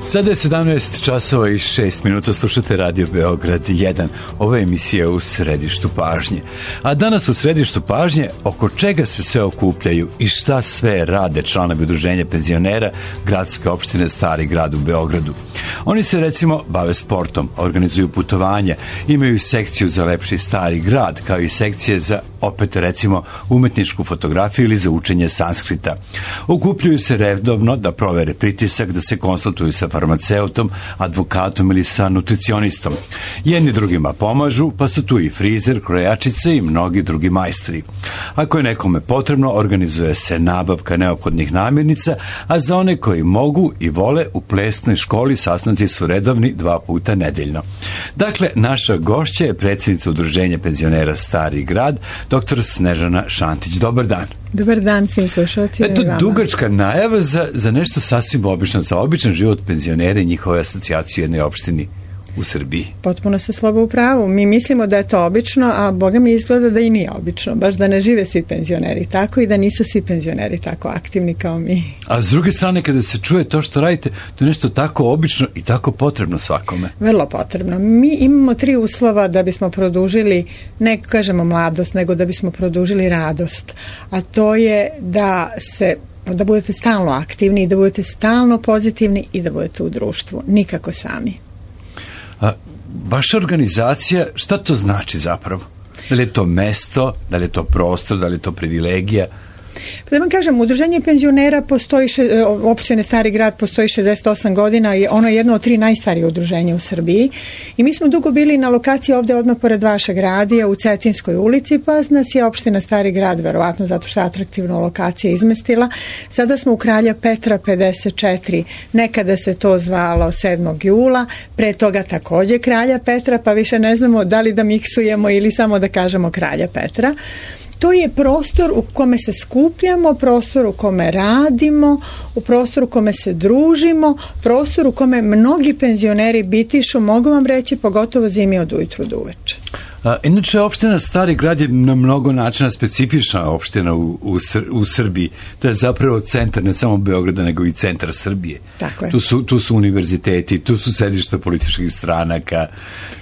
Sada je 17 časova i 6 minuta, slušate Radio Beograd 1. Ova emisija u središtu pažnje. A danas u središtu pažnje oko čega se sve okupljaju i šta sve rade članovi udruženja penzionera gradske opštine Stari grad u Beogradu. Oni se recimo bave sportom, organizuju putovanja, imaju sekciju za lepši Stari grad, kao i sekcije za, opet recimo, umetničku fotografiju ili za učenje sanskrita. Okupljaju se redovno da provere pritisak, da se konsultuju sa farmaceutom, advokatom ili sa nutricionistom. Jedni drugima pomažu, pa su tu i frizer, krojačice i mnogi drugi majstri. Ako je nekome potrebno, organizuje se nabavka neophodnih namirnica, a za one koji mogu i vole, u plesnoj školi sastanci su redovni 2 puta nedeljno. Dakle, naša gošća je predsjednica udruženja penzionera Stari grad, dr. Snežana Šantić. Dobar dan. Dobar dan svim slušalcima. Eto, dugačka najava za nešto sasvim obično, za običan život penzionera i njihove asocijacije u jednoj opštini u Srbiji. Potpuno se slobo u pravu. Mi mislimo da je to obično, a Boga mi izgleda da i nije obično. Baš da ne žive svi penzioneri tako i da nisu svi penzioneri tako aktivni kao mi. A s druge strane, kada se čuje to što radite, to je nešto tako obično i tako potrebno svakome. Vrlo potrebno. Mi imamo 3 uslova da bismo produžili, ne kažemo mladost, nego da bismo produžili radost. A to je da budete stalno aktivni, da budete stalno pozitivni i da budete u društvu. Nikako sami. A vaša organizacija, šta to znači zapravo? Da li je to mesto, da li je to prostor, da li je to privilegija? Da vam kažem, udruženje penzionera postoji, opštine Stari grad postoji 68 godina i ono je jedno od 3 najstarije udruženja u Srbiji i mi smo dugo bili na lokaciji ovde odmah pored vašeg radija u Cetinskoj ulici, pa nas je opština Stari grad, verovatno zato što je atraktivna lokacija, izmestila. Sada smo u Kralja Petra 54, nekada se to zvalo 7. jula, pre toga takođe Kralja Petra, pa više ne znamo da li da miksujemo ili samo da kažemo Kralja Petra. To je prostor u kome se skupljamo, prostor u kome radimo, u prostoru u kome se družimo, prostor u kome mnogi penzioneri bitišu, mogu vam reći, pogotovo zimi od ujutru do uveče. Inače, opština Stari grad je na mnogo načina specifična opština u Srbiji. To je zapravo centar ne samo Beograda, nego i centar Srbije. Tako je. Tu su univerziteti, tu su sedišta političkih stranaka,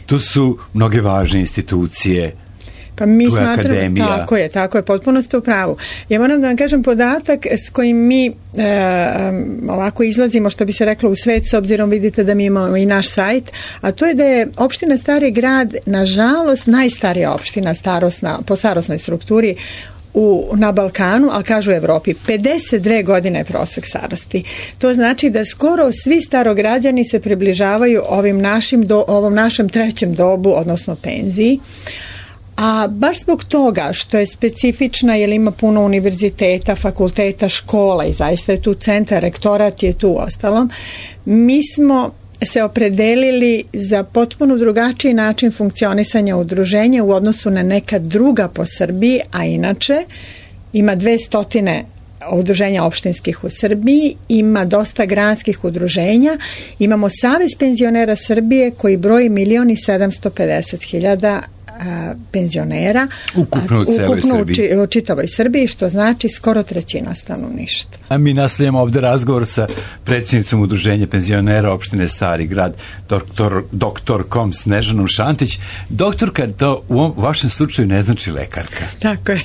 tu su mnoge važne institucije. Pa mi smatramo, tako je, potpuno ste u pravu. Ja moram da vam kažem podatak s kojim mi ovako izlazimo, što bi se reklo, u svet, s obzirom vidite da mi imamo i naš sajt, a to je da je opština Stari grad, nažalost, najstarija opština po starosnoj strukturi na Balkanu, ali kažu u Evropi. 52 godine je prosek starosti. To znači da skoro svi starograđani se približavaju ovom našem trećem dobu, odnosno penziji. A baš zbog toga što je specifična, jer ima puno univerziteta, fakulteta, škola i zaista je tu centar, rektorat je tu ostalom, mi smo se opredelili za potpuno drugačiji način funkcionisanja udruženja u odnosu na neka druga po Srbiji, a inače ima 200 udruženja opštinskih u Srbiji, ima dosta gradskih udruženja, imamo Savez penzionera Srbije koji broji 1.750.000 penzionera ukupno u čitavoj Srbiji, što znači skoro 1/3 stanovništva. A mi nastavljamo ovde razgovor sa predsjednicom udruženja penzionera opštine Stari grad, doktorkom Snežanom Šantić. Doktorka, to u vašem slučaju ne znači lekarka. Tako je,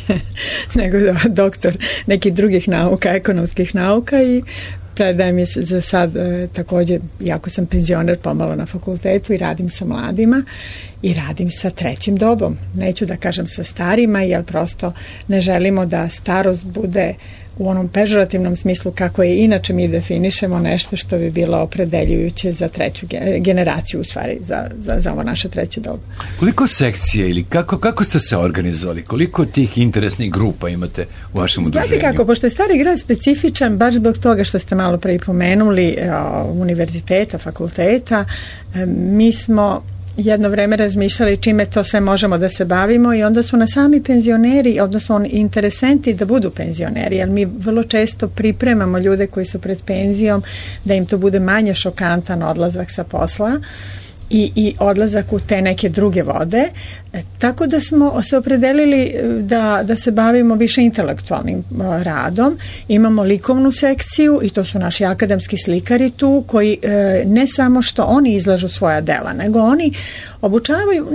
nego doktor nekih drugih nauka, ekonomskih nauka, i predajem je za sad takođe, iako sam penzioner, pomalo na fakultetu i radim sa mladima i radim sa trećim dobom. Neću da kažem sa starima, jer prosto ne želimo da starost bude u onom pežorativnom smislu kako je inače mi definišemo, nešto što bi bilo opredeljujuće za treću generaciju, u stvari za ovo naše treće dobu. Koliko sekcije ili kako ste se organizovali? Koliko tih interesnih grupa imate u vašem udruženju? Znate kako, pošto je Stari grad specifičan, baš zbog toga što ste malo pre pomenuli univerziteta, fakulteta, mi smo jedno vreme razmišljali čime to sve možemo da se bavimo i onda su nas sami penzioneri, odnosno interesenti da budu penzioneri, jer mi vrlo često pripremamo ljude koji su pred penzijom da im to bude manje šokantan odlazak sa posla i odlazak u te neke druge vode. Tako da smo se opredelili da se bavimo više intelektualnim radom. Imamo likovnu sekciju i to su naši akademski slikari tu koji ne samo što oni izlažu svoja dela, nego oni obučavaju,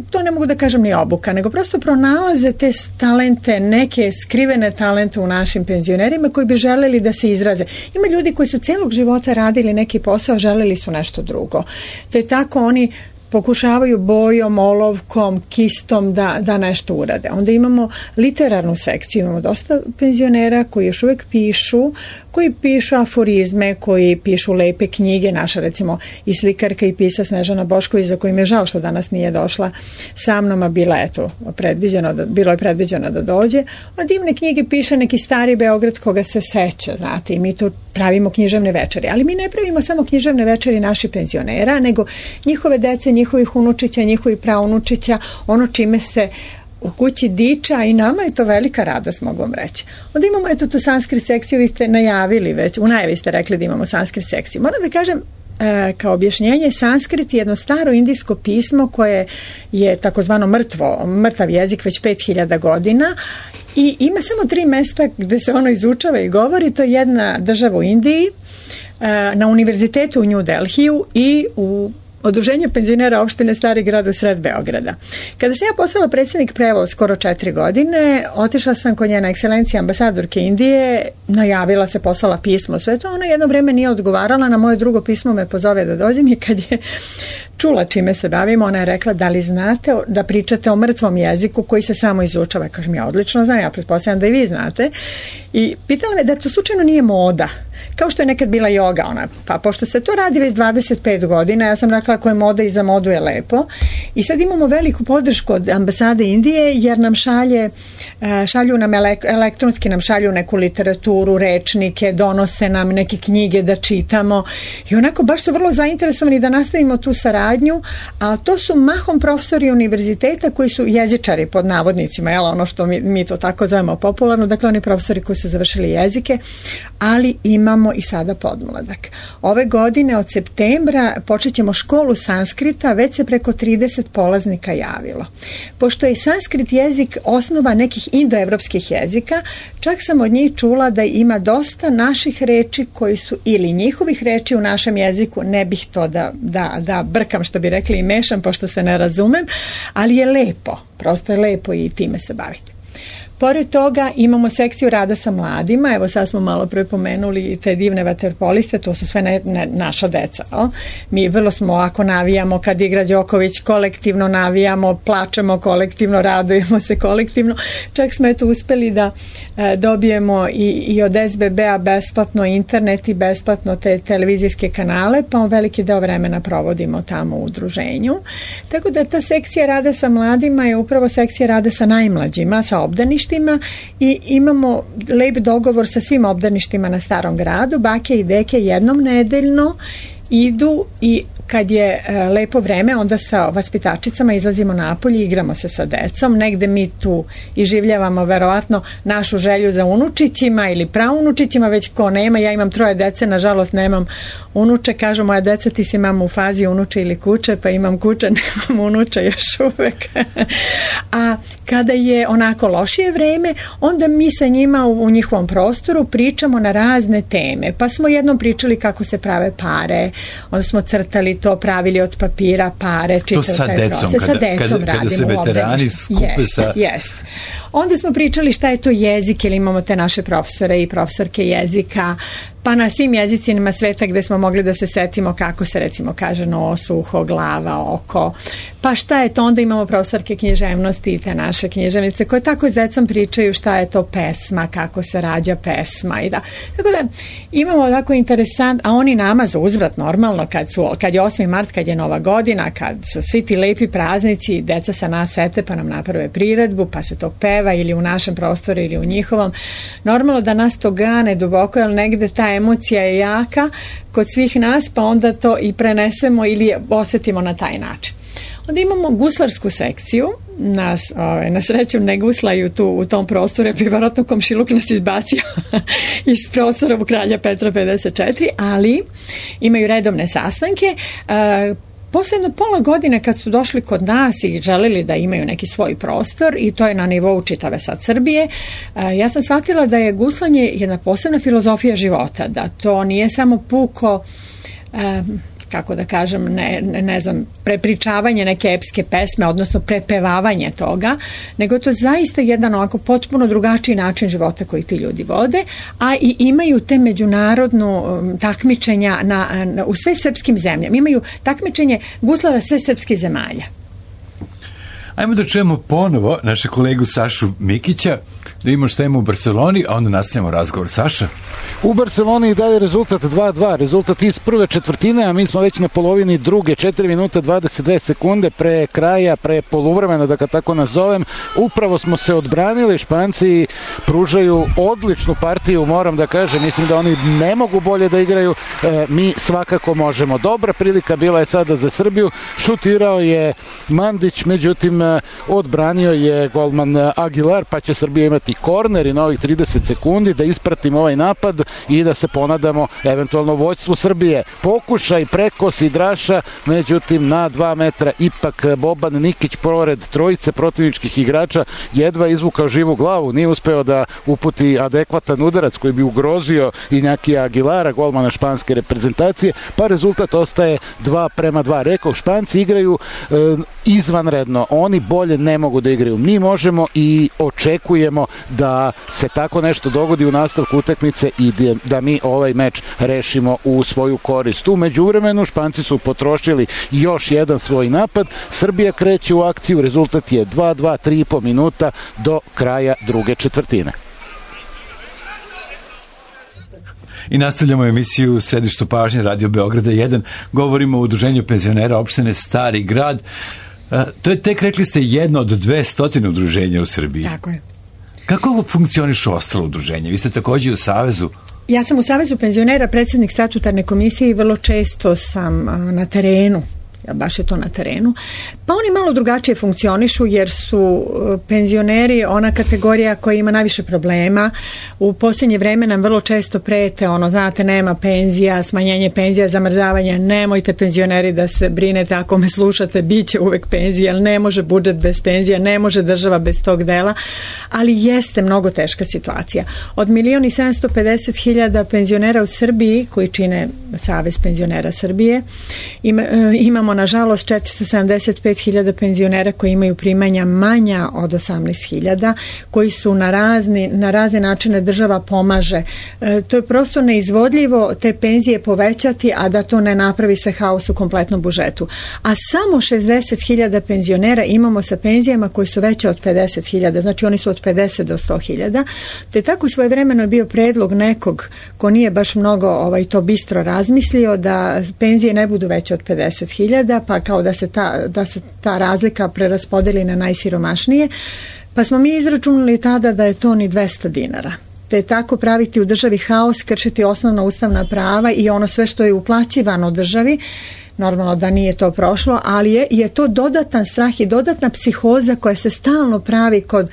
to ne mogu da kažem ni obuka, nego prosto pronalaze te talente, neke skrivene talente u našim penzionerima koji bi želeli da se izraze. Ima ljudi koji su celog života radili neki posao, a želeli su nešto drugo. Te tako oni pokušavaju bojom, olovkom, kistom da nešto urade. Onda imamo literarnu sekciju, imamo dosta penzionera koji još uvijek koji pišu aforizme, koji pišu lepe knjige, naša recimo i slikarka i pisac Snežana Bošković, za kojim je žao što danas nije došla sa mnom, a bilo je predviđeno da dođe. A divne knjige piše neki stari Beograd koga se seća, znate, i mi tu pravimo književne večeri. Ali mi ne pravimo samo književne večeri naših penzionera, nego njihove dece, njihovih unučića, njihovih praunučića, ono čime se u kući diča i nama je to velika radost, mogu vam reći. Onda imamo tu sanskrit sekciju, vi ste najavili već, u najavi ste rekli da imamo sanskrit sekciju. Moram da kažem, kao objašnjenje, sanskrit je jedno staro indijsko pismo koje je takozvano mrtav jezik već 5000 godina i ima samo 3 mesta gde se ono izučava i govori. To je jedna država u Indiji, na univerzitetu u New Delhiju i u Udruženju penzionera opštine Stari grad u sred Beograda. Kada sam ja postala predsjednik pre skoro 4 godine, otišla sam kod njena ekscelencija ambasadorke Indije, najavila se, poslala pismo, sve to. Ona jedno vreme nije odgovarala, na moje drugo pismo me pozove da dođem i kad je čula čime se bavimo, ona je rekla, da li znate da pričate o mrtvom jeziku koji se samo izučava? Kažem, ja odlično znam, ja pretpostavljam da i vi znate. I pitala me da to slučajno nije moda, kao što je nekad bila joga, pa pošto se to radi već 25 godina, ja sam rekla ako je moda i za modu je lepo. I sad imamo veliku podršku od ambasade Indije jer nam šalju nam elektronski nam šalju neku literaturu, rečnike, donose nam neke knjige da čitamo i onako baš su vrlo zainteresovani da nastavimo tu saradnju, a to su mahom profesori univerziteta koji su jezičari pod navodnicima, ono što mi to tako zovemo popularno, dakle oni profesori koji su završili jezike, ali imamo i sada podmladak. Ove godine od septembra počet ćemo školu sanskrita, već se preko 30 polaznika javilo. Pošto je sanskrit jezik osnova nekih indoevropskih jezika, čak sam od njih čula da ima dosta naših reči koji su ili njihovih reči u našem jeziku, ne bih to da brkam što bi rekli i mešam pošto se ne razumem, ali je lepo, prosto je lepo i time se baviti. Pored toga imamo sekciju rada sa mladima, evo sad smo malo prepomenuli te divne vaterpoliste, to su sve naša deca. Mi vrlo smo ovako navijamo kad igra Đoković, kolektivno navijamo, plačemo kolektivno, radujemo se kolektivno. Čak smo uspeli da dobijemo i od SBB-a besplatno internet i besplatno te televizijske kanale, pa veliki deo vremena provodimo tamo u udruženju. Tako da ta sekcija rada sa mladima je upravo sekcija rada sa najmlađima, sa obdaništima, i imamo lep dogovor sa svim obdaništima na Starom gradu. Bake i deke jednom nedeljno idu i kad je lepo vreme, onda sa vaspitačicama izlazimo napolje i igramo se sa decom. Negde mi tu iživljavamo verovatno našu želju za unučićima ili praunučićima, već ko nema. Ja imam 3 dece, nažalost nemam unuče. Kažu moja deca, ti si mama u fazi unuče ili kuće, pa imam kuće, nemam unuče još uvek. A kada je onako lošije vreme, onda mi sa njima u njihovom prostoru pričamo na razne teme. Pa smo jednom pričali kako se prave pare, onda smo crtali to, pravili od papira pare, čitali taj proces. Sa decom kada se veterani skupe sa... Onda smo pričali šta je to jezik, ili imamo te naše profesore i profesorke jezika, pa na svim jezicima sveta gde smo mogli da se setimo kako se recimo kaže nos, uho, glava, oko, pa šta je to, onda imamo profesorke književnosti i te naše književnice koje tako s decom pričaju šta je to pesma, kako se rađa pesma i da. Tako da imamo tako interesant, a oni nama za uzvrat normalno kad je 8. mart, kad je Nova godina, kad su svi ti lepi praznici, deca sa nas sete pa nam naprave priredbu, pa se to peva ili u našem prostoru ili u njihovom. Normalno da nas to gane duboko, jer negde ta emocija je jaka kod svih nas, pa onda to i prenesemo ili osjetimo na taj način. Onda imamo guslarsku sekciju, na sreću ne guslaju tu u tom prostoru, jer bi vjerojatno komšiluk nas izbacio iz prostora u Kralja Petra 54, ali imaju redovne sastanke. posledno pola godine kad su došli kod nas i želeli da imaju neki svoj prostor, i to je na nivou čitave sad Srbije, ja sam shvatila da je guslanje jedna posebna filozofija života, da to nije samo puko kako da kažem, ne znam, prepričavanje neke epske pesme, odnosno prepevavanje toga, nego to zaista jedan ovako potpuno drugačiji način života koji ti ljudi vode, a i imaju te međunarodnu takmičenja u sve srpskim zemljama. Imaju takmičenje guslara sve srpskih zemalja. Ajmo da čujemo ponovo naše kolegu Sašu Mikića, da vidimo šta ima u Barceloni, a onda nastavimo razgovor. Saša? U Barceloni daje rezultat 2-2, rezultat iz prve četvrtine, a mi smo već na polovini druge, 4 minuta 22 sekunde pre kraja, pre poluvremena, da ga tako nazovem. Upravo smo se odbranili, Španci pružaju odličnu partiju, moram da kažem, mislim da oni ne mogu bolje da igraju, mi svakako možemo. Dobra prilika bila je sada za Srbiju, šutirao je Mandić, međutim odbranio je golman Aguilar, pa će Srbija imati korner i novih 30 sekundi da ispratimo ovaj napad i da se ponadamo eventualno vođstvu Srbije. Pokušaj preko Sidraša, međutim na 2 metra ipak Boban Nikić pored trojice protivničkih igrača jedva izvukao živu glavu, nije uspeo da uputi adekvatan udarac koji bi ugrozio Iñaki Aguilara, golmana španske reprezentacije, pa rezultat ostaje 2:2. Rekao, Španci igraju izvanredno, oni bolje ne mogu da igraju. Mi možemo i očekujemo da se tako nešto dogodi u nastavku utakmice i da mi ovaj meč rešimo u svoju korist. U međuvremenu Španci su potrošili još jedan svoj napad, Srbija kreće u akciju, rezultat je 2:2, 3,5 minuta do kraja druge četvrtine. I nastavljamo emisiju u središtu pažnje Radio Beograda 1. Govorimo o udruženju penzionera opštine Stari Grad. To je tek, rekli ste, jedno od 200 udruženja u Srbiji. Tako je. Kako funkcionišu ostalo udruženje? Vi ste također u Savezu. Ja sam u Savezu penzionera, predsjednik statutarne komisije i vrlo često sam na terenu. Baš je to na terenu. Pa oni malo drugačije funkcionišu jer su penzioneri ona kategorija koja ima najviše problema. U posljednje vreme nam vrlo često prete, znate, nema penzija, smanjenje penzija, zamrzavanja. Nemojte penzioneri da se brinete, ako me slušate, bit će uvek penzija, ali ne može budžet bez penzija, ne može država bez tog dela, ali jeste mnogo teška situacija. Od 1.750.000 penzionera u Srbiji, koji čine Savez penzionera Srbije, imamo nažalost 475.000 penzionera koji imaju primanja manja od 18.000, koji su na razne načine država pomaže. To je prosto neizvodljivo te penzije povećati, a da to ne napravi se haos u kompletnom budžetu. A samo 60.000 penzionera imamo sa penzijama koji su veće od 50.000, znači oni su od 50 do 100.000. Te tako svojevremeno je bio predlog nekog ko nije baš mnogo to bistro razmislio da penzije ne budu veće od 50.000, pa kao da se ta razlika preraspodeli na najsiromašnije, pa smo mi izračunali tada da je to ni 200 dinara. Te tako praviti u državi haos, kršiti osnovna ustavna prava i ono sve što je uplaćivano državi. Normalno da nije to prošlo, ali je to dodatan strah i dodatna psihoza koja se stalno pravi kod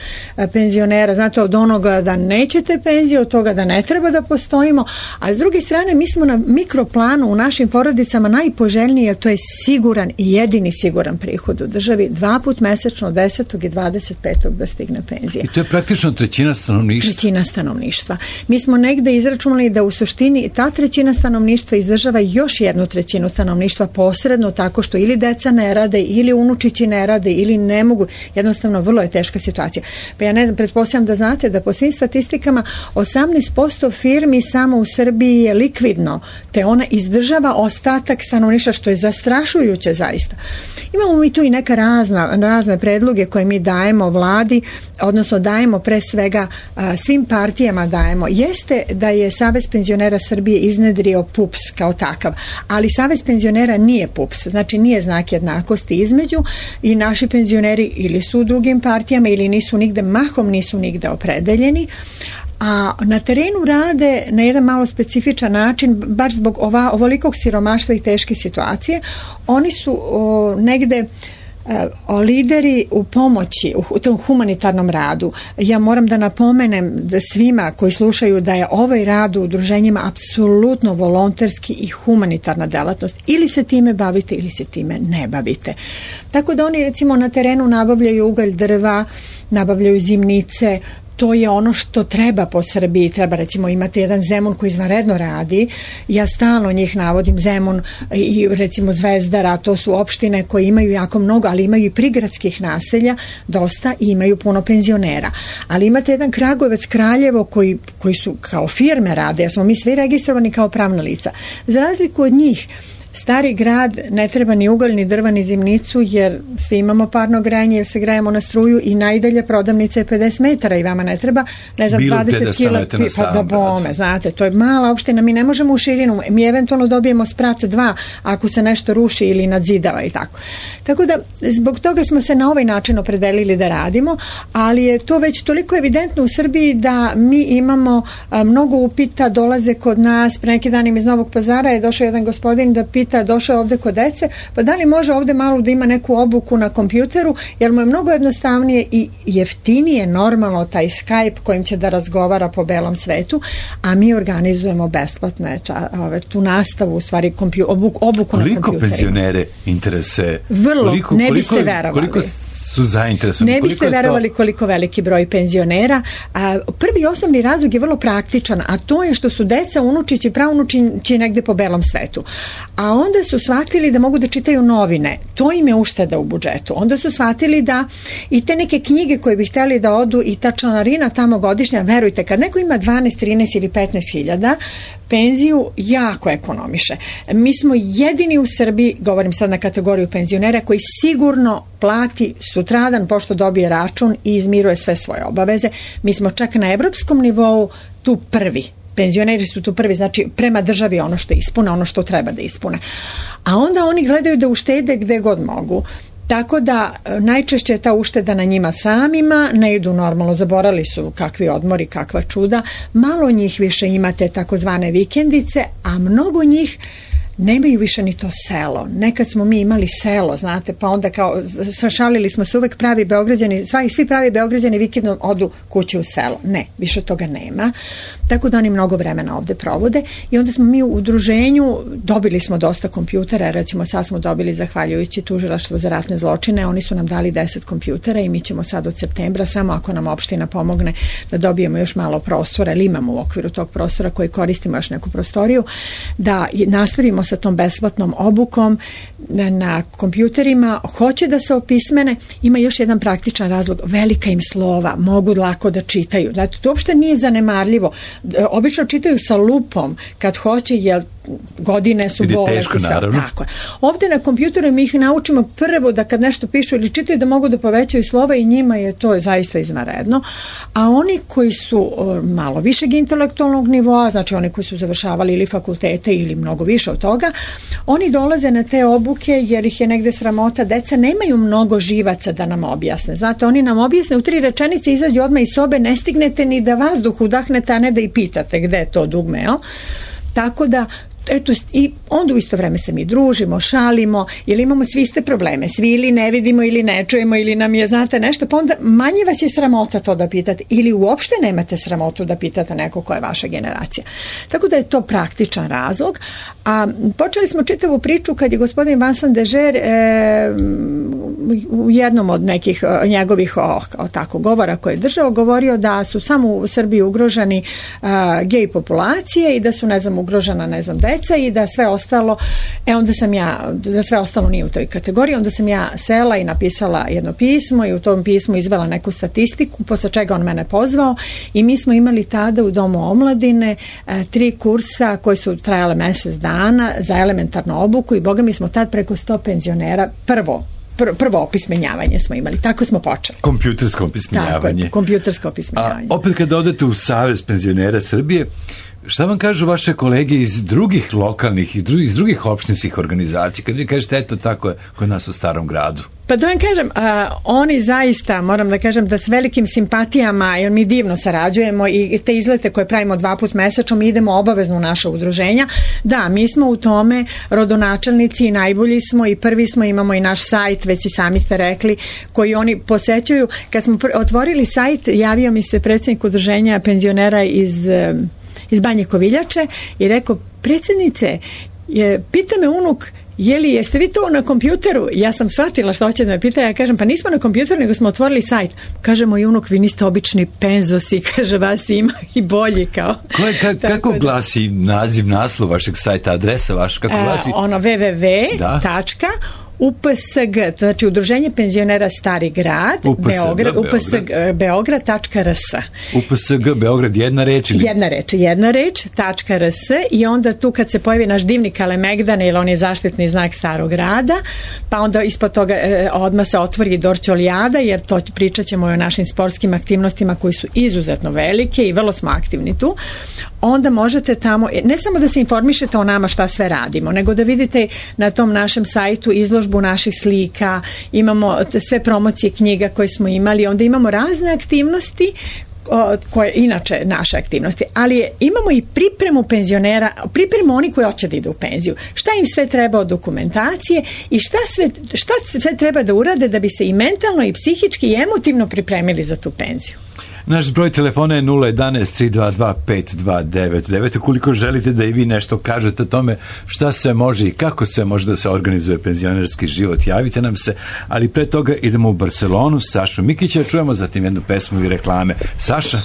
penzionera. Znate, od onoga da nećete penzije, od toga da ne treba da postojimo, a s druge strane mi smo na mikroplanu u našim porodicama najpoželjniji, jer to je siguran i jedini siguran prihod u državi, 2 puta mesečno, 10. i 25. da stigne penzija. I to je praktično trećina stanovništva. Trećina stanovništva. Mi smo negde izračunali da u suštini ta trećina stanovništva izdržava još jednu trećinu stanovništva posredno, tako što ili deca ne rade, ili unučići ne rade, ili ne mogu. Jednostavno, vrlo je teška situacija. Pa ja ne znam, pretpostavljam da znate da po svim statistikama 18% firmi samo u Srbiji je likvidno, te ona izdržava ostatak stanovništva, što je zastrašujuće zaista. Imamo mi tu i neka razne predloge koje mi dajemo vladi, odnosno dajemo pre svega svim partijama dajemo. Jeste da je Savez penzionera Srbije iznedrio PUPS kao takav, ali Savez penzionera nije PUPS, znači nije znak jednakosti između, i naši penzioneri ili su u drugim partijama ili mahom nisu nigde opredeljeni, a na terenu rade na jedan malo specifičan način, baš zbog ovolikog siromaštva i teške situacije. Oni su negde lideri u pomoći, u tom humanitarnom radu. Ja moram da napomenem da svima koji slušaju da je ovaj rad u udruženjima apsolutno volonterski i humanitarna delatnost. Ili se time bavite ili se time ne bavite. Tako da oni recimo na terenu nabavljaju ugalj, drva, nabavljaju zimnice. To je ono što treba po Srbiji. Treba recimo imati jedan Zemun koji izvanredno radi. Ja stalno njih navodim, Zemun i recimo Zvezdara, to su opštine koje imaju jako mnogo, ali imaju i prigradskih naselja dosta i imaju puno penzionera. Ali imate jedan Kragujevac, Kraljevo koji su kao firme rade, jer smo mi svi registrovani kao pravna lica. Za razliku od njih, Stari grad ne treba ni ugalj, ni drva, ni zimnicu, jer svi imamo parno grejanje, jer se grejemo na struju i najdalje prodavnica je 50 metara i vama ne treba, ne znam, 20 kila pa da bome, znate, to je mala opština, mi ne možemo u širinu, mi eventualno dobijemo sprac 2 ako se nešto ruši ili nadzidava i tako. Tako da, zbog toga smo se na ovaj način opredelili da radimo, ali je to već toliko evidentno u Srbiji da mi imamo mnogo upita, dolaze kod nas, pre neki dan iz Novog Pazara je došao jedan gospodin da pita, došao ovde kod dece, pa da li može ovde malo da ima neku obuku na kompjuteru, jer mu je mnogo jednostavnije i jeftinije normalno taj Skype kojim će da razgovara po belom svetu, a mi organizujemo besplatno tu nastavu, u stvari obuku na kompjuterima. Koliko penzionere interese? Vrlo, ne biste verovali. Koliko su zainteresovani? Ne biste verovali koliko veliki broj penzionera. Prvi osnovni razlog je vrlo praktičan, a to je što su deca, unučići, praunučići negde po belom svetu. A onda su shvatili da mogu da čitaju novine. To im je ušteda u budžetu. Onda su shvatili da i te neke knjige koje bi hteli da odu i ta članarina tamo godišnja, verujte, kad neko ima 12, 13 ili 15 hiljada, penziju jako ekonomiše. Mi smo jedini u Srbiji, govorim sad na kategoriju penzionera, koji sigurno plati sutradan pošto dobije račun i izmiruje sve svoje obaveze. Mi smo čak na evropskom nivou tu prvi. Penzioneri su tu prvi, znači prema državi ono što ispune, ono što treba da ispune. A onda oni gledaju da uštede gde god mogu. Tako da najčešće je ta ušteda na njima samima, ne idu normalno, zaborali su kakvi odmori, kakva čuda. Malo njih više imate takozvane vikendice, a mnogo njih nemaju više ni to selo. Nekad smo mi imali selo, znate, pa onda kao šalili smo se uvek pravi Beograđani, svi pravi Beograđani vikendom odu kući u selo. Ne, više toga nema. Tako da oni mnogo vremena ovde provode i onda smo mi u udruženju dobili smo dosta kompjutera, recimo sad smo dobili zahvaljujući Tužilaštvu za ratne zločine, oni su nam dali 10 kompjutera i mi ćemo sad od septembra, samo ako nam opština pomogne da dobijemo još malo prostora, ili imamo u okviru tog prostora koji koristimo još neku prostoriju, da nastavimo sa tom besplatnom obukom na kompjuterima, hoće da se opismene. Ima još jedan praktičan razlog, velika im slova, mogu lako da čitaju. Znači, to uopšte nije zanemarljivo. Obično čitaju sa lupom kad hoće, jer godine su bolesti. Tako je. Ovde na kompjuteru mi ih naučimo prvo da kad nešto pišu ili čitaju da mogu da povećaju slova i njima je to zaista izvanredno. A oni koji su malo višeg intelektualnog nivoa, znači oni koji su završavali ili fakultete ili mnogo više od toga, oni dolaze na te obuke jer ih je negde sramota. Deca nemaju mnogo živaca da nam objasne. Znate, oni nam objasne u 3 rečenice, izađu odmah iz sobe, ne stignete ni da vazduh udahnete, a ne da i pitate gde je to dugme, jel? Tako da eto, i onda u isto vreme se mi družimo, šalimo, jer imamo svi iste probleme, svi ili ne vidimo ili ne čujemo ili nam je, znate, nešto, pa onda manje vas je sramota to da pitate ili uopšte nemate sramotu da pitate neko ko je vaša generacija. Tako da je to praktičan razlog. A počeli smo čitavu priču kad je gospodin Vincent Dežer u jednom od nekih njegovih tako govora koje je držao, govorio da su samo u Srbiji ugroženi gej populacije i da su, ne znam, ugrožena, ne znam, deca i da sve ostalo, onda sam ja, da sve ostalo nije u toj kategoriji, onda sam ja sela i napisala jedno pismo i u tom pismu izvela neku statistiku, posle čega on mene pozvao i mi smo imali tada u Domu omladine 3 kursa koji su trajale mesec dana za elementarnu obuku i boga mi smo tad preko 100 penzionera prvo opismenjavanje smo imali. Tako smo počeli. Kompjutersko opismenjavanje. Tako, kompjutersko opismenjavanje. A opet kada odete u Savez penzionera Srbije, Šta vam kažu vaše kolege iz drugih lokalnih i iz drugih opštinskih organizacija, kad vi kažete eto tako je kod nas u Starom gradu? Pa da vam kažem, oni zaista, moram da kažem da s velikim simpatijama, jer mi divno sarađujemo i te izlete koje pravimo 2 puta mesečno, mi idemo obavezno u naše udruženja. Da, mi smo u tome rodonačelnici i najbolji smo i prvi smo, imamo i naš sajt, već i sami ste rekli, koji oni posećuju. Kad smo otvorili sajt, javio mi se predsjednik udruženja penzionera iz Banje Koviljače i rekao, predsjednice, pita me unuk, jeste vi to na kompjuteru? Ja sam shvatila što hoće da me pita, ja kažem, pa nismo na kompjuteru, nego smo otvorili sajt. Kaže moj unuk, vi niste obični penzosi, kaže, vas ima i bolji kao. Kako glasi naslov vašeg sajta, adresa vaša, kako glasi? www. UPSG, znači Udruženje penzionera Stari grad, Beograd.rs. UPSG Beograd, jedna reč? Jedna reč, .rs, i onda tu kad se pojavi naš divni Kalemegdan, jer on je zaštitni znak Starog grada, pa onda ispod toga odmah se otvori Dorćolijada, jer to pričat ćemo o našim sportskim aktivnostima koji su izuzetno velike i vrlo smo aktivni tu. Onda možete tamo, ne samo da se informišete o nama šta sve radimo, nego da vidite na tom našem sajtu izložbu naših slika, imamo sve promocije knjiga koje smo imali, onda imamo razne aktivnosti koje inače naše aktivnosti, ali imamo i pripremu penzionera, pripremu oni koji hoće da idu u penziju. Šta im sve treba od dokumentacije i šta sve treba da urade da bi se i mentalno i psihički i emotivno pripremili za tu penziju. Naš broj telefona je 011-322-5299. Ukoliko želite da i vi nešto kažete o tome šta se može i kako se može da se organizuje penzionerski život, javite nam se, ali pre toga idemo u Barcelonu. Sašu Mikića čujemo, zatim jednu pesmu i reklame. Saša?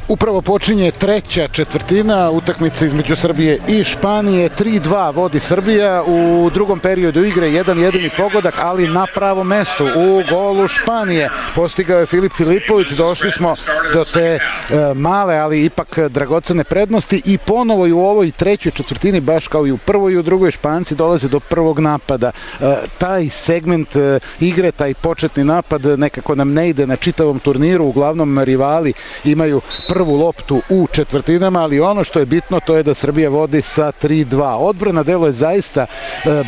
Upravo počinje treća četvrtina utakmice između Srbije i Španije. 3-2 vodi Srbija. U drugom periodu igre jedan jedini pogodak, ali na pravom mestu u golu Španije postigao je Filip Filipović. Došli smo do te male, ali ipak dragocene prednosti i ponovo i u ovoj trećoj četvrtini, baš kao i u prvoj i u drugoj, Španci dolaze do prvog napada. Taj segment igre, taj početni napad nekako nam ne ide na čitavom turniru. Uglavnom rivali imaju prvu loptu u četvrtinama, ali ono što je bitno to je da Srbija vodi sa 3-2. Odbrana deluje zaista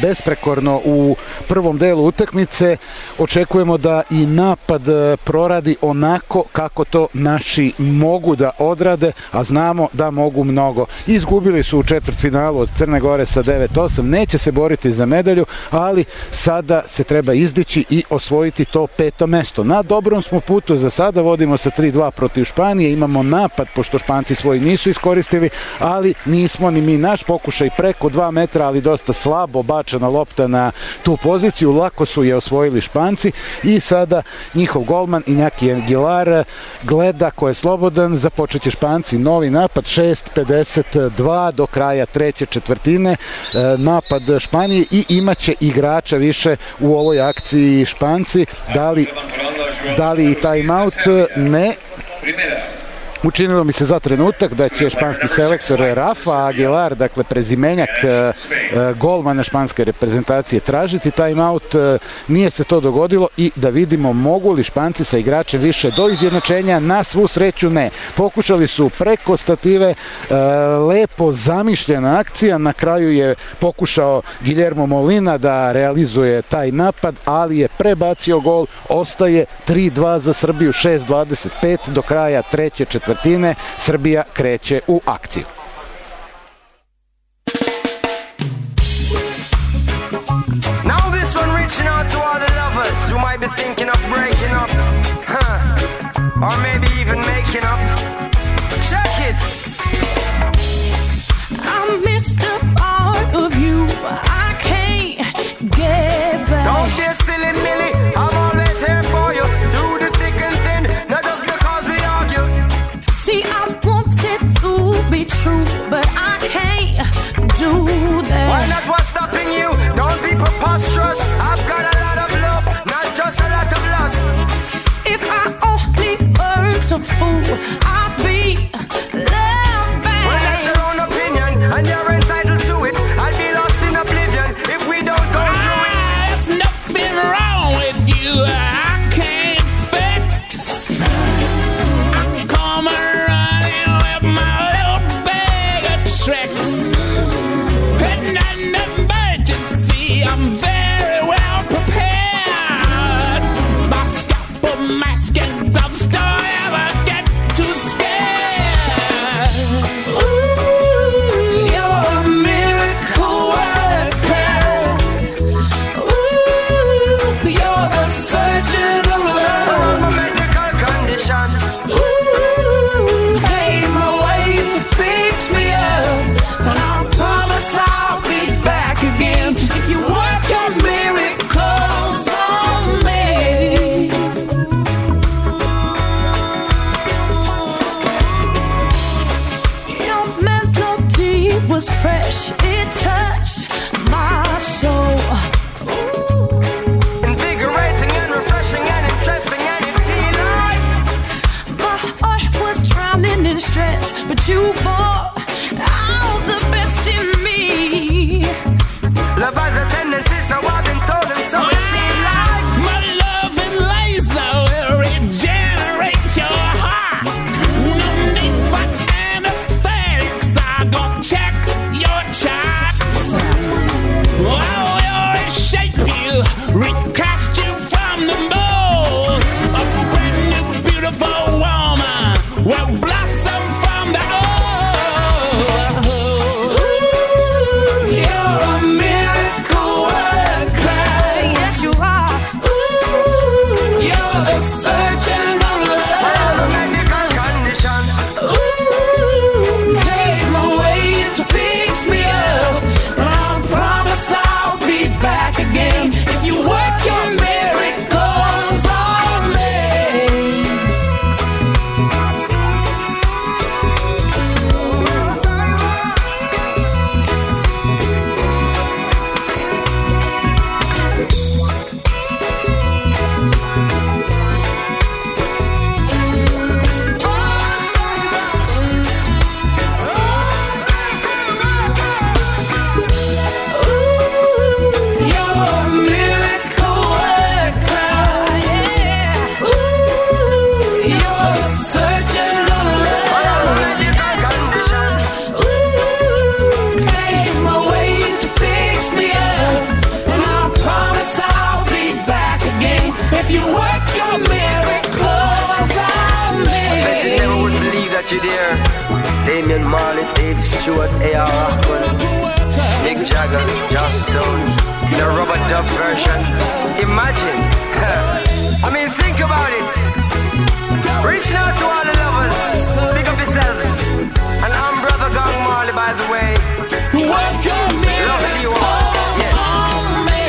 besprekorno u prvom delu utakmice. Očekujemo da i napad proradi onako kako to naši mogu da odrade, a znamo da mogu mnogo. Izgubili su u četvrtfinalu od Crne Gore sa 9-8, neće se boriti za medalju, ali sada se treba izdići i osvojiti to 5. mesto. Na dobrom smo putu, za sada vodimo sa 3-2 protiv Španije, imamo napad, pošto Španci svoji nisu iskoristili, ali nismo ni mi. Naš pokušaj preko 2 metra, ali dosta slabo bačena lopta na tu poziciju, lako su je osvojili Španci i sada njihov golman Iñaki Aguilar gleda ko je slobodan, započet će Španci novi napad, 6:52 do kraja treće četvrtine, napad Španije i imaće igrača više u ovoj akciji Španci. Da li i timeout? Ne. Učinilo mi se za trenutak da će španski selektor Rafa Aguilar, dakle prezimenjak golmana španske reprezentacije, tražiti timeout. Nije se to dogodilo i da vidimo mogu li Španci sa igračem više do izjednačenja. Na svu sreću ne. Pokušali su preko stative, lepo zamišljena akcija, na kraju je pokušao Guillermo Molina da realizuje taj napad, ali je prebacio gol. Ostaje 3-2 za Srbiju, 6:25 do kraja treće četvrtine. Srbija kreće u akciju. Now this one reaching out to all the lovers who might be thinking of breaking up, or maybe even making up. Check it. I missed a part of you I can't get back. Don't be a silly Millie, I'm always here for you through the thick and thin, not just because we argue. See, I wanted to be true, but I can't do that. Why not? What's stopping you? Don't be preposterous. I've got a lot of love, not just a lot of lust. If I only weren't a fool, I'd be loved back. Well, that's your own opinion, and you're entitled to it. I'd be lost in oblivion if we don't go through it. There's nothing wrong was fresh, it touched my soul. Ooh. Invigorating and refreshing and interesting, and it feel like my heart was drowning in stress, but you brought out the best in me. Love has a tendency, so I've been told, and so it seems like my love and laser will regenerate your heart. No need for anesthetics, I gon' check your charts. I will reshape you, recast you from the mold. A brand new beautiful woman will blossom from the old. Ooh, you're a miracle worker, yes you are. Ooh, you're a surgeon of love, a medical condition. Ooh, pave my way to fix me up, and I promise I'll be back again if you work your miracles on me. You're a miracle worker, yeah. Ooh, you're a surgeon of love, a medical condition. Ooh, pave my way to fix me up, and I promise I'll be back again if you work your miracles on me. I bet you never would believe that you're there. Damian Marley, Dave Stewart, A.R. Rahman, Mick Jagger, Joss Stone, in a rubber dub version. Imagine. I mean, think about it. Reaching out to all the lovers. Pick up yourselves. And I'm Brother Gang Marley, by the way. Work your Love to you all. Yes. on me.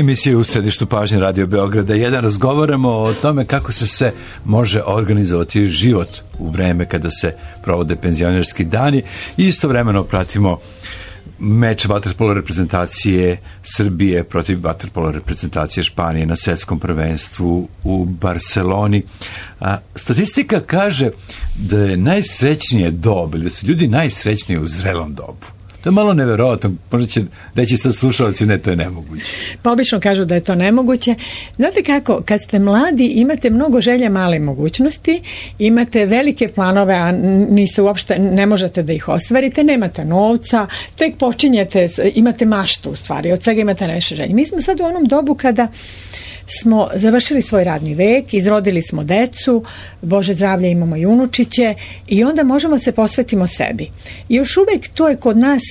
Emisija u središtu pažnje Radio Beograda 1. Razgovaramo o tome kako se sve može organizovati život u vreme kada se provode penzionerski dani i istovremeno pratimo meč vaterpolo reprezentacije Srbije protiv vaterpolo reprezentacije Španije na svetskom prvenstvu u Barseloni. Statistika kaže da je najsrećnije dob, ili da su ljudi najsrećniji u zrelom dobu. To je malo neverovatno, možda će reći sad slušalci, ne, to je nemoguće. Pa obično kažu da je to nemoguće. Znate kako, kad ste mladi imate mnogo želja, male mogućnosti, imate velike planove, a niste uopšte, ne možete da ih ostvarite, nemate novca, tek počinjete, imate maštu u stvari, od svega imate nešto želje. Mi smo sad u onom dobu kada smo završili svoj radni vek, izrodili smo decu, Bože zdravlje, imamo i unučiće i onda možemo se posvetimo sebi. I još uvek to je kod nas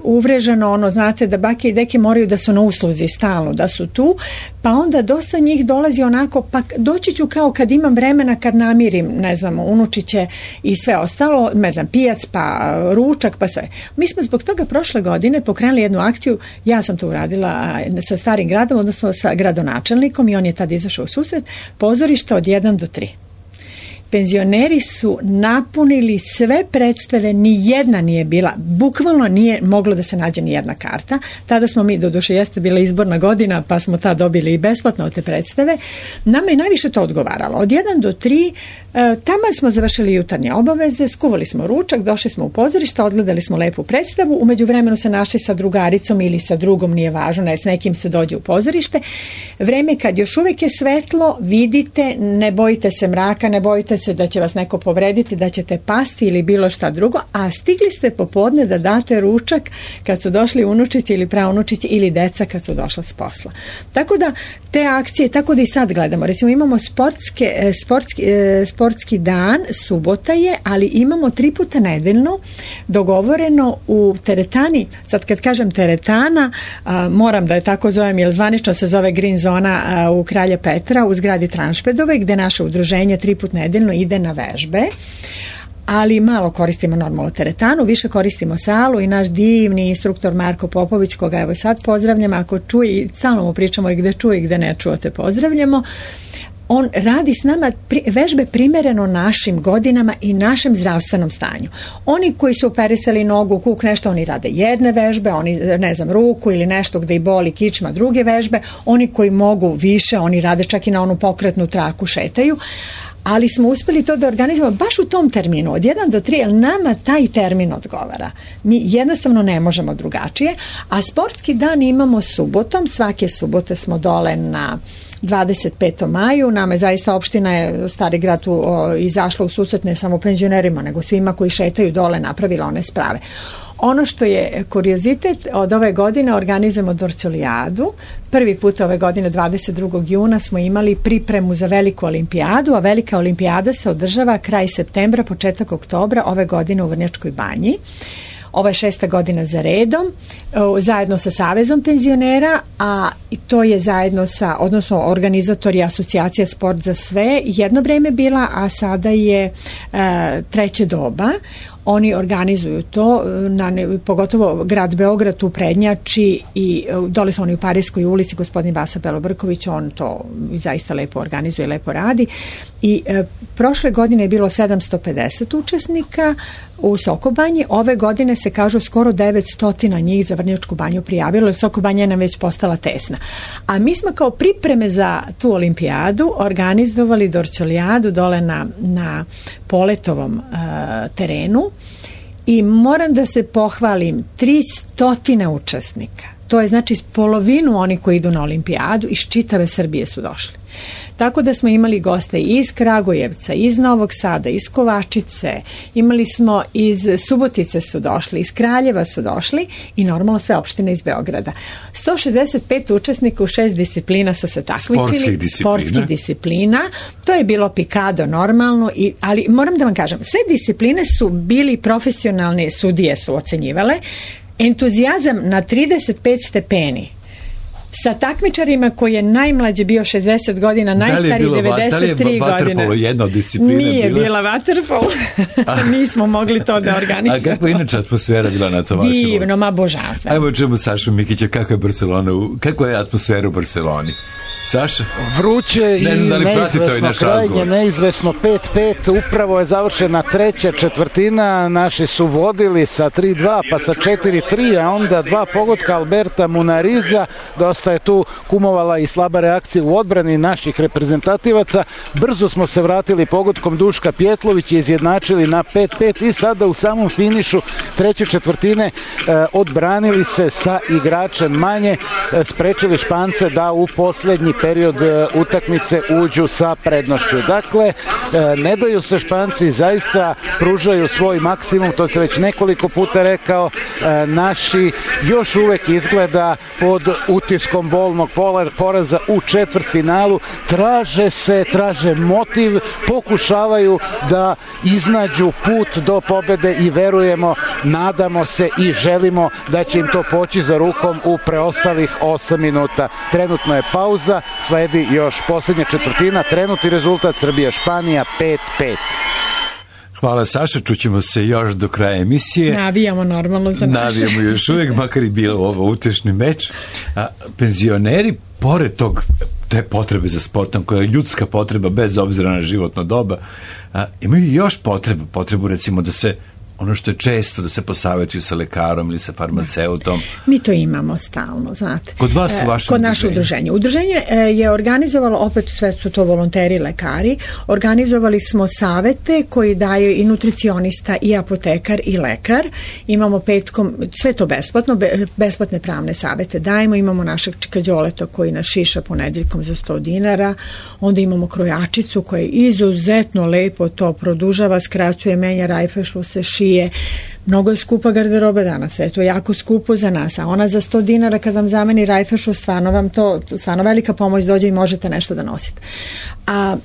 uvreženo, ono, znate, da bake i deke moraju da su na usluzi stalno, da su tu, pa onda dosta njih dolazi onako, pa doći ću kao kad imam vremena, kad namirim, ne znam, unučiće i sve ostalo, ne znam, pijac, pa ručak, pa sve. Mi smo zbog toga prošle godine pokrenuli jednu akciju, ja sam to uradila sa Starim gradom, odnosno sa gradonačelnikom, i on je tad izašao u susret, pozorišta od 1 do 3. Penzioneri su napunili sve predstave, ni jedna nije bila, bukvalno nije moglo da se nađe ni jedna karta. Tada smo mi, doduše jeste bila izborna godina, pa smo tad dobili i besplatno te predstave. Nama je najviše to odgovaralo. Od 1 do 3, tamo smo završili jutarnje obaveze, skuvali smo ručak, došli smo u pozorište, odgledali smo lepu predstavu, umeđu vremenu se našli sa drugaricom ili sa drugom, nije važno, ne, s nekim se dođe u pozorište. Vreme kad još uvijek je svetlo, vidite, ne bojite se mraka, ne bojite se da će vas neko povrediti, da ćete pasti ili bilo šta drugo, a stigli ste popodne da date ručak kad su došli unučići ili praunučići ili deca kad su došla s posla. Tako da te akcije, tako da i sad gledamo. Recimo imamo sportski dan, subota je, ali imamo 3 puta nedeljno dogovoreno u teretani. Sad kad kažem teretana, moram da je tako zovem, jer zvanično se zove Green Zona u Kralja Petra u zgradi Tranšpedove, gde naše udruženje 3 puta nedeljno ide na vežbe, ali malo koristimo normalno teretanu, više koristimo salu i naš divni instruktor Marko Popović, koga evo sad pozdravljamo, ako čuje, stalno mu pričamo i gde čuje i gde ne čujete, pozdravljamo. on radi s nama vežbe primereno našim godinama i našem zdravstvenom stanju. Oni koji su operisali nogu, kuk, nešto, oni rade jedne vežbe, oni, ne znam, ruku ili nešto gde i boli kičma, druge vežbe. Oni koji mogu više, oni rade čak i na onu pokretnu traku, šetaju. Ali smo uspeli to da organizujemo baš u tom terminu, od 1 do 3, jer nama taj termin odgovara. Mi jednostavno ne možemo drugačije, a sportski dan imamo subotom, svake subote smo dole na 25. maju, nama je zaista opština je Stari Grad izašla u susret ne samo penzionerima, nego svima koji šetaju dole, napravila one sprave. Ono što je kuriozitet, od ove godine organizujemo Dorćolijadu. Prvi put ove godine, 22. juna, smo imali pripremu za veliku olimpijadu, a velika olimpijada se održava kraj septembra, početak oktobra ove godine u Vrnjačkoj Banji. Ovo je 6. godina za redom, zajedno sa Savezom penzionera, a to je zajedno sa, odnosno organizatori asocijacija Sport za sve, jedno vreme bila, a sada je treće doba. Oni organizuju to, pogotovo grad Beograd u prednjači i dole su oni u Parijskoj ulici, gospodin Vasa Belobrković, on to zaista lepo organizuje, lepo radi. I prošle godine je bilo 750 učesnika u Sokobanji, ove godine se kažu skoro 900 njih za Vrnjačku Banju prijavilo, jer Sokobanja je nam već postala tesna. A mi smo kao pripreme za tu olimpijadu organizovali Dorćolijadu dole na Poletovom terenu i moram da se pohvalim, 300 učesnika. To je znači polovinu oni koji idu na olimpijadu iz čitave Srbije su došli. Tako da smo imali goste iz Kragujevca, iz Novog Sada, iz Kovačice, imali smo iz Subotice su došli, iz Kraljeva su došli i normalno sve opštine iz Beograda. 165 učesnika u 6 disciplina su se takmičili, sportskih disciplina. To je bilo pikado normalno, ali moram da vam kažem, sve discipline su bili profesionalne sudije su ocenjivale. Entuzijazam na 35 stepeni. Sa takmičarima koji je najmlađi bio 60 godina, najstariji 93 godine. Da li je vaterpolo jedna od disciplina? Nije bila vaterpolo. Nismo mogli to da organizujemo. A kako je inače atmosfera bila na to vašem? Divno, ma božanstveno. Ajmo čemu Sašu Mikića, kakva je atmosfera u Barceloni? Saša? Vruće i neizvesno, krajnje neizvesno, 5-5, upravo je završena treća četvrtina, naši su vodili sa 3-2 pa sa 4-3, a onda 2 pogotka Alberta Munariza, dosta je tu kumovala i slaba reakcija u odbrani naših reprezentativaca, brzo smo se vratili pogodkom Duška Pjetlović i izjednačili na 5-5 i sada u samom finišu treće četvrtine odbranili se sa igračem manje, sprečili Špance da u posljednji period utakmice uđu sa prednošću. Dakle, ne daju se Španci, zaista pružaju svoj maksimum, to se već nekoliko puta rekao, naši još uvek izgleda pod utiskom bolnog poraza u četvrtfinalu, traže motiv, pokušavaju da iznađu put do pobede i verujemo, nadamo se i želimo da će im to poći za rukom u preostalih 8 minuta. Trenutno je pauza, sledi još posljednja četvrtina, trenutni rezultat Srbija-Španija 5-5. Hvala Saša, čućemo se još do kraja emisije. Navijamo normalno za naše. Navijamo još uvijek, makar i bilo ovo utešni meč. Penzioneri, pored te potrebe za sportom, koja je ljudska potreba bez obzira na životno doba, imaju još potrebu recimo da se ono što je često da se posavjetuju sa lekarom ili sa farmaceutom. Mi to imamo stalno, znate. Kod vas u vašem kod naše udruženje. Udruženje je organizovalo, opet sve su to volonteri, lekari, organizovali smo savete koji daju i nutricionista i apotekar i lekar. Imamo petkom, sve to besplatno, besplatne pravne savete dajemo, imamo našeg Čikađoleta koji nas šiša ponedeljkom za 100 dinara, onda imamo krojačicu koja izuzetno lepo to produžava, skraćuje, menja rajfešu, se šije. Mnogo je skupa garderoba danas, sve to je jako skupo za nas, a ona za 100 dinara kad vam zameni rajfešu, stvarno velika pomoć dođe i možete nešto da nosite. A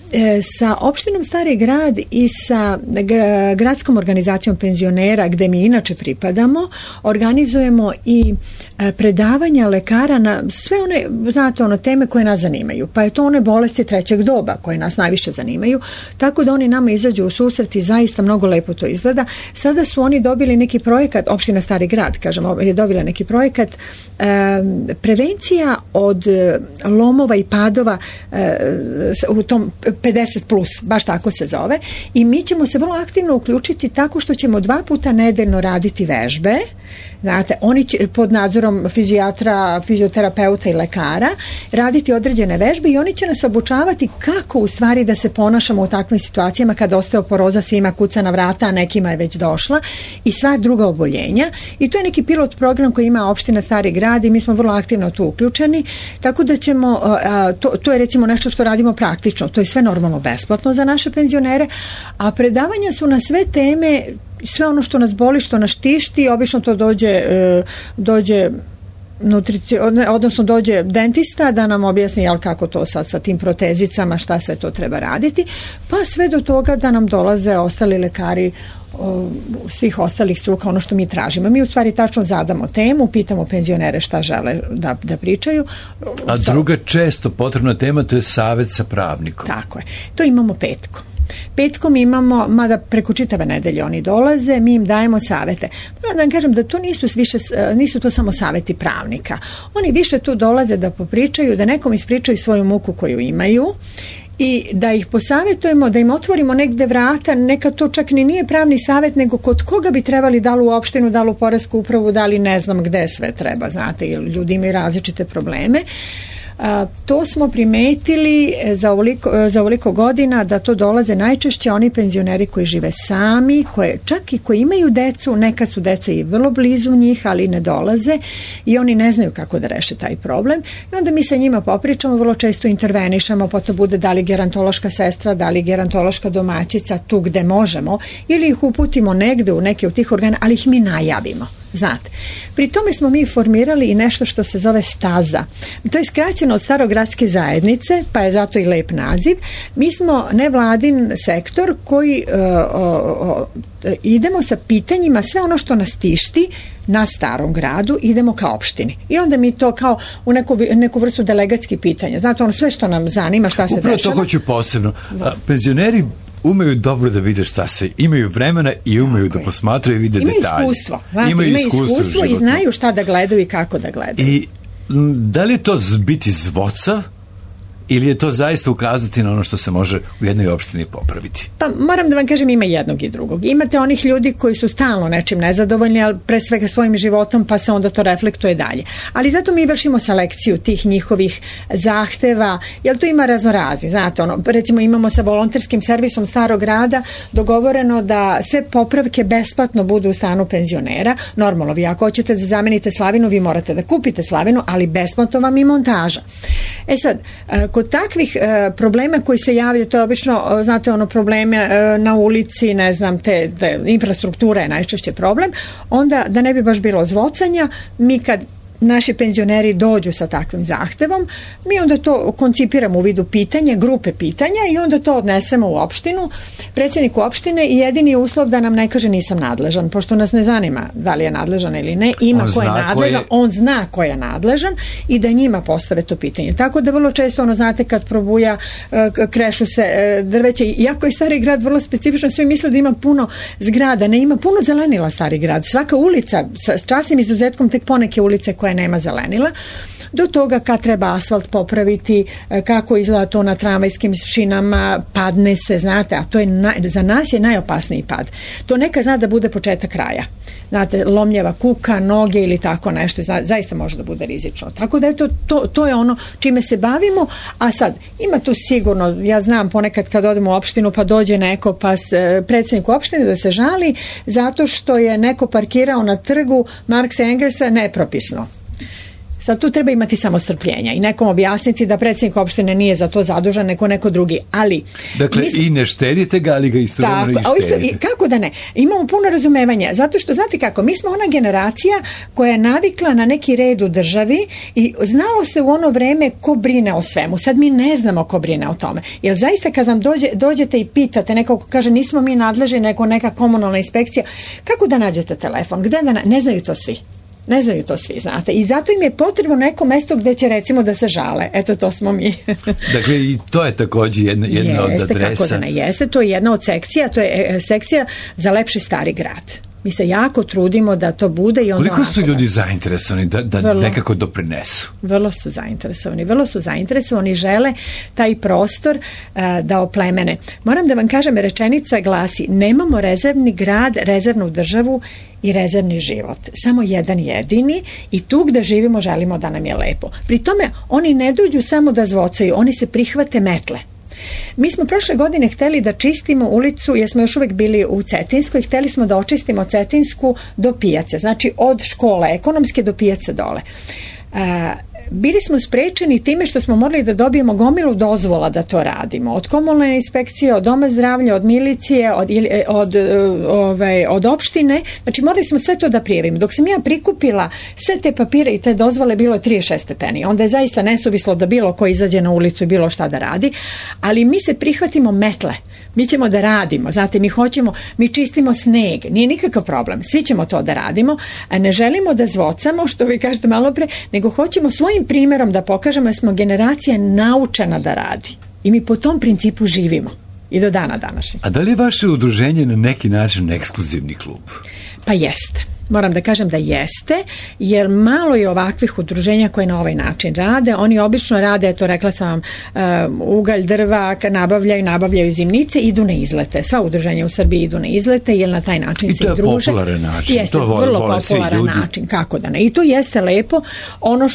sa opštinom Stari Grad i sa gradskom organizacijom penzionera, gde mi inače pripadamo, organizujemo i predavanja lekara na sve one, znate, teme koje nas zanimaju, pa je to one bolesti trećeg doba koje nas najviše zanimaju, tako da oni nama izađu u susret i zaista mnogo lepo to izgleda. Sada su oni dobili dobili neki projekat, opština Stari Grad, kažemo, je dobila neki projekat prevencija od lomova i padova u tom 50+, baš tako se zove, i mi ćemo se vrlo aktivno uključiti tako što ćemo 2 puta nedeljno raditi vežbe. Znate, oni će pod nadzorom fizijatra, fizioterapeuta i lekara raditi određene vežbe i oni će nas obučavati kako u stvari da se ponašamo u takvim situacijama kada osteoporoza svima kuca na vrata, a nekima je već došla, i sva druga oboljenja. I to je neki pilot program koji ima opština Stari Grad i mi smo vrlo aktivno tu uključeni, tako da ćemo, to je recimo nešto što radimo praktično, to je sve normalno besplatno za naše penzionere, a predavanja su na sve teme, sve ono što nas boli, što nas tišti, obično to dođe odnosno dođe dentista da nam objasni kako to sad sa tim protezicama, šta sve to treba raditi, pa sve do toga da nam dolaze ostali lekari svih ostalih struka, ono što mi tražimo. Mi u stvari tačno zadamo temu, pitamo penzionere šta žele da pričaju. A druga često potrebna tema, to je savjet sa pravnikom. Tako je. To imamo petkom imamo, mada preko čitave nedelje oni dolaze, mi im dajemo savete. Moram da vam kažem da to nisu to samo saveti pravnika. Oni više tu dolaze da popričaju, da nekom ispričaju svoju muku koju imaju i da ih posavetujemo, da im otvorimo negde vrata, neka to čak ni nije pravni savjet, nego kod koga bi trebali, da li u opštinu, da li u poresku upravu, da li ne znam gde sve treba, znate, jer ljudi imaju različite probleme. To smo primetili za ovoliko godina da to dolaze najčešće oni penzioneri koji žive sami, čak i koji imaju decu, nekad su deca i vrlo blizu njih, ali ne dolaze i oni ne znaju kako da reše taj problem i onda mi sa njima popričamo, vrlo često intervenišemo, pa to bude da li gerontološka sestra, da li gerontološka domaćica tu gde možemo ili ih uputimo negde u neke od tih organa, ali ih mi najavimo. Znate, pri tome smo mi formirali i nešto što se zove staza. To je skraćeno od Starogradske zajednice, pa je zato i lep naziv. Mi smo nevladin sektor koji idemo sa pitanjima, sve ono što nas tišti na Starom Gradu, idemo ka opštini. I onda mi to kao u neku vrstu delegatskih pitanja. Znate, ono sve što nam zanima, šta se dešava. Upravo to hoću posebno. Penzioneri umeju dobro da vide šta se, imaju vremena i umeju da posmatraju i vide detalje. Imaju iskustvo i znaju šta da gledaju i kako da gledaju. I da li je to biti zvocav ili je to zaista ukazati na ono što se može u jednoj opštini popraviti? Pa moram da vam kažem, ima jednog i drugog. Imate onih ljudi koji su stalno nečim nezadovoljni, ali pre svega svojim životom, pa se onda to reflektuje dalje. Ali zato mi vršimo selekciju tih njihovih zahteva, jer tu ima raznorazni. Znate, recimo imamo sa volonterskim servisom Starog Grada dogovoreno da sve popravke besplatno budu u stanu penzionera. Normalno, vi ako hoćete da zamenite slavinu, vi morate da kupite slavinu, ali besplatno vam i montaža. E sad, kod takvih problema koji se javljaju, to je obično, znate, probleme na ulici, ne znam, te infrastruktura je najčešće problem, onda da ne bi baš bilo zvocanja, mi kad naši penzioneri dođu sa takvim zahtevom, mi onda to koncipiramo u vidu pitanja, grupe pitanja i onda to odnesemo u opštinu, predsjedniku opštine i jedini uslov da nam ne kaže nisam nadležan, pošto nas ne zanima da li je nadležan ili ne, ima ko je nadležan, on zna ko je nadležan i da njima postave to pitanje. Tako da vrlo često, znate, kad probuja, krešu se drveće, iako je Stari Grad vrlo specifično, svi misle da ima puno zgrada, ne, ima puno zelenila Stari Grad, svaka ulica, sa časnim izuzetkom tek poneke ulice koje nema zelenila, do toga kad treba asfalt popraviti, kako izgleda to na tramvajskim šinama, padne se, znate, a to je za nas je najopasniji pad. To neka zna da bude početak kraja. Znate, lomljeva kuka, noge ili tako nešto, zaista može da bude rizično. Tako da to je ono čime se bavimo, a sad, ima tu sigurno, ja znam ponekad kad odemo u opštinu pa dođe neko, pa predsjednik opštine da se žali zato što je neko parkirao na trgu Marksa Engelsa nepropisno. Sad tu treba imati samo strpljenja i nekom objasniti da predsjednik opštine nije za to zadužen, neko drugi, ali... Dakle, i ne štedite ga, ali ga istovremeno i štedite. Kako da ne? Imamo puno razumevanja, zato što, znate kako, mi smo ona generacija koja je navikla na neki red u državi i znalo se u ono vreme ko brine o svemu. Sad mi ne znamo ko brine o tome. Jer zaista kad vam dođete i pitate, neko ko kaže nismo mi nadležni, neka komunalna inspekcija, kako da nađete telefon? Gde da ne znaju to svi. Ne znaju to svi, znate. I zato im je potrebno neko mesto gdje će recimo da se žale. Eto, to smo mi. Dakle, i to je također jedna od adresa. Kako da ne jeste, to je jedna od sekcija, to je sekcija za lepši Stari Grad. Mi se jako trudimo da to bude i onda... Koliko su ljudi zainteresovani da nekako doprinesu? Vrlo su zainteresovani, žele taj prostor da oplemene. Moram da vam kažem, rečenica glasi: nemamo rezervni grad, rezervnu državu i rezervni život. Samo jedan jedini i tu gde živimo želimo da nam je lepo. Pri tome oni ne dođu samo da zvocaju, oni se prihvate metle. Mi smo prošle godine hteli da čistimo ulicu, jer smo još uvijek bili u Cetinskoj, hteli smo da očistimo Cetinsku do pijace, znači od škole ekonomske do pijace dole. Bili smo sprečeni time što smo morali da dobijemo gomilu dozvola da to radimo. Od komunalne inspekcije, od doma zdravlja, od milicije, od opštine. Znači morali smo sve to da prijavimo. Dok sam ja prikupila sve te papire i te dozvole, bilo je 36 stepeni. Onda je zaista nesuvislo da bilo ko izađe na ulicu i bilo šta da radi. Ali mi se prihvatimo metle. Mi ćemo da radimo. Znate, mi čistimo sneg. Nije nikakav problem. Svi ćemo to da radimo. A ne želimo da zvocamo, što vi kažete malo pre, nego hoćemo svojim primjerom da pokažemo da smo generacija naučena da radi. I mi po tom principu živimo. I do dana današnjeg. A da li je vaše udruženje na neki način ekskluzivni klub? Pa jeste. Moram da kažem da jeste, jer malo je ovakvih udruženja koje na ovaj način rade. Oni obično rade, to rekla sam vam, ugalj, drva, nabavljaju zimnice, idu na izlete. Sva udruženja u Srbiji idu na izlete, jer na taj način se i druže. I to je popularan način. Jeste, vrlo popularan način, kako da ne. I to jeste lepo. Ono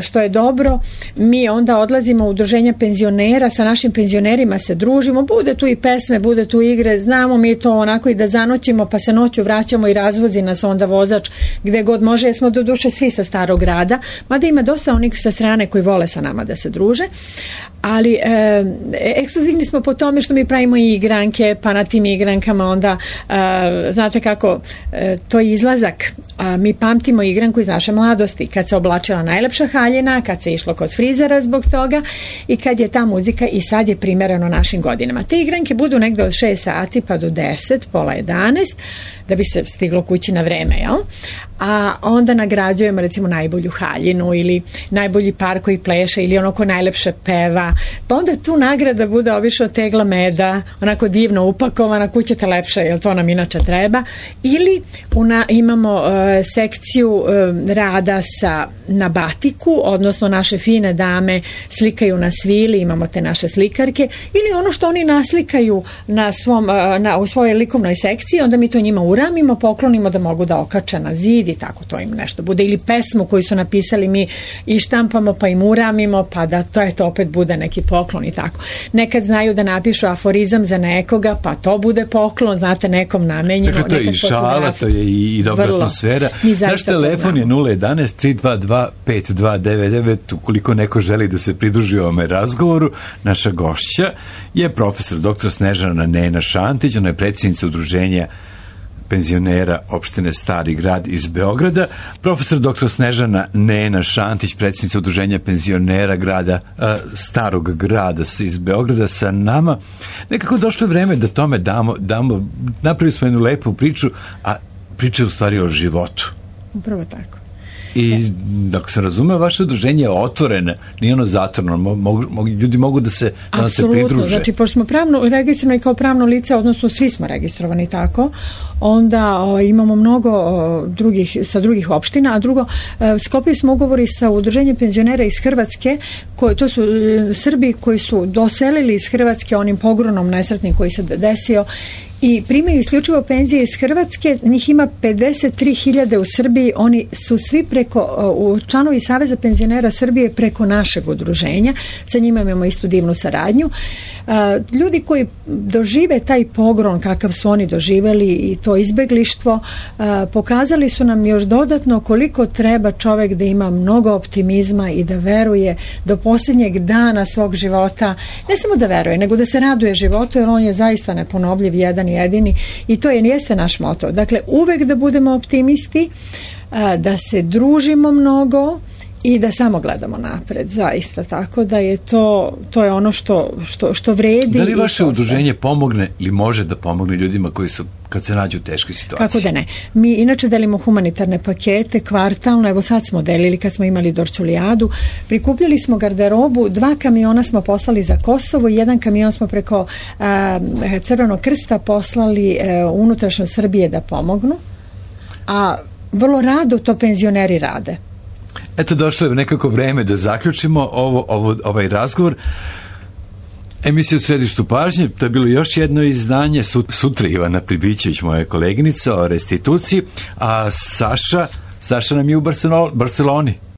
što je dobro, mi onda odlazimo u udruženja penzionera, sa našim penzionerima se družimo, bude tu i pesme, bude tu igre, znamo mi to onako i da zanoćimo, pa se noću vraćamo i razvozi nas onda vozač gde god može, jer smo do duše svi sa Starog grada, mada ima dosta onih sa strane koji vole sa nama da se druže, ali ekskluzivni smo po tome što mi pravimo i igranke, pa na tim igrankama onda znate kako to je izlazak. Mi pamtimo igranku iz naše mladosti, kad se oblačila najlepša haljina, kad se išlo kod frizera zbog toga i kad je ta muzika i sad je primereno našim godinama. Te igranke budu negde od 6 sati pa do 10, pola 11, da bi se stiglo kući na vreme, jel? A onda nagrađujemo recimo najbolju haljinu ili najbolji par koji pleše ili ono ko najlepše peva, pa onda tu nagrada bude obično tegla meda, onako divno upakovana, kućete lepše, jer to nam inače treba, ili imamo sekciju rada na batiku, odnosno naše fine dame slikaju na svili, imamo te naše slikarke, ili ono što oni naslikaju u svojoj likovnoj sekciji, onda mi to njima uramimo, poklonimo da mogu da okače na zid i tako to im nešto bude, ili pesmu koju su napisali mi i štampamo pa im uramimo, pa da to opet bude neki poklon i tako. Nekad znaju da napišu aforizam za nekoga, pa to bude poklon, znate, nekom namenjeno. Dakle, to je i šala, to je i dobra atmosfera. Naš telefon je 011-322-5299, ukoliko neko želi da se pridruži ovome razgovoru. Naša gošća je profesor dr. Snežana Nena Šantić, ona je predsjednica udruženja penzionera opštine Stari grad iz Beograda. Profesor dr. Snežana Nena Šantić, predsjednica udruženja penzionera grada Starog grada iz Beograda sa nama. Nekako došlo je vreme da tome damo, napravili smo jednu lepu priču, a priča je u stvari o životu. Upravo tako. I dok sam razumeo, vaše udruženje je otvoreno, nije ono zatvoreno, ljudi mogu da se pridruže. Apsolutno, znači pošto smo pravno registrovani kao pravno lice, odnosno svi smo registrovani tako, onda imamo mnogo sa drugih opština, a drugo, sklopili smo ugovori sa udruženjem penzionera iz Hrvatske, to su Srbi koji su doselili iz Hrvatske onim pogronom nesretnim koji se desio i primaju isključivo penzije iz Hrvatske, njih ima 53.000 u Srbiji, oni su svi članovi Saveza penzionera Srbije preko našeg udruženja, sa njima imamo istu divnu saradnju. Ljudi koji dožive taj pogrom kakav su oni doživeli i to izbeglištvo, pokazali su nam još dodatno koliko treba čovek da ima mnogo optimizma i da veruje do posljednjeg dana svog života, ne samo da veruje, nego da se raduje životu, jer on je zaista neponovljiv, jedan jedini, i to jeste naš moto. Dakle, uvek da budemo optimisti, da se družimo mnogo i da samo gledamo napred, zaista, tako da je to je ono što vredi. Da li vaše udruženje pomogne ili može da pomogne ljudima koji su, kad se nađu u teškoj situaciji? Kako da ne. Mi inače delimo humanitarne pakete kvartalno, evo sad smo delili kad smo imali Dorčulijadu, prikupljali smo garderobu, 2 kamiona smo poslali za Kosovo i 1 kamion smo preko Crvenog krsta poslali unutrašnjo Srbije da pomognu. a vrlo rado to penzioneri rade. Eto, došlo je nekako vreme da zaključimo ovaj razgovor. Emisija u središtu pažnje, to je bilo još jedno izdanje, sutra Ivana Pribićević, moja koleginica, o restituciji, a Saša nam je u Barceloni.